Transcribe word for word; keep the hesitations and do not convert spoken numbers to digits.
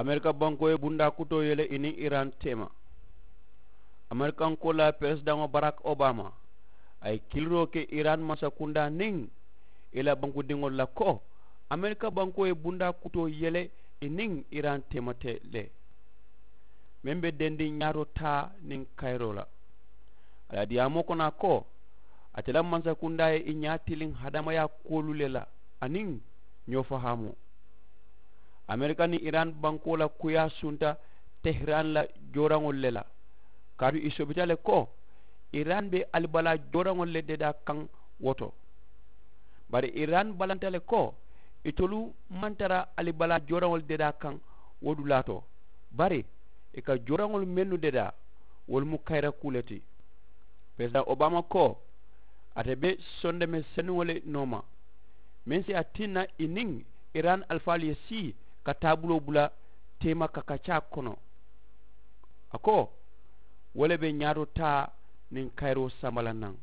Amerika bankoo ye bundaa kutoo yele i niŋ iran teema. Amerikankoo la peresidaŋo barak obama a ye kiliroo ke iran mansakundaa niŋ i la bankudiŋolu la ko amerika bankoo ye bundaa kutoo yele i niŋ iran teema te le. Meŋ be dendiŋ ñaato taa niŋ kayiroo la a la diyaamoo kono a ko ate la mansakundaa ye i ñaa tiliŋ hadamayaa kuwolu le la aniŋ ñoo fahaamoo. Amerika niŋ iran bankoo la kuyaa sunta tehiran la jooraŋolu le la kaatu i sobita le ko iran be alibalaa jooraŋolu le dedaa kaŋ wo to. Bari iran balanta le ko itolu maŋ tara alibalaa jooraŋolu dedaa kaŋ wo dulaa to bari i ka jooraŋolu mennu dedaa wolu mu kayira kuu le ti. Peresidaŋ obama ko ate be sondeme senuŋo le nooma meŋ si a tinna i niŋ iran alifaalu ye sii ka taabuloo bula teema kakacaa kono. A ko wo le be ñaato taa niŋ kayiroo samba la naŋ.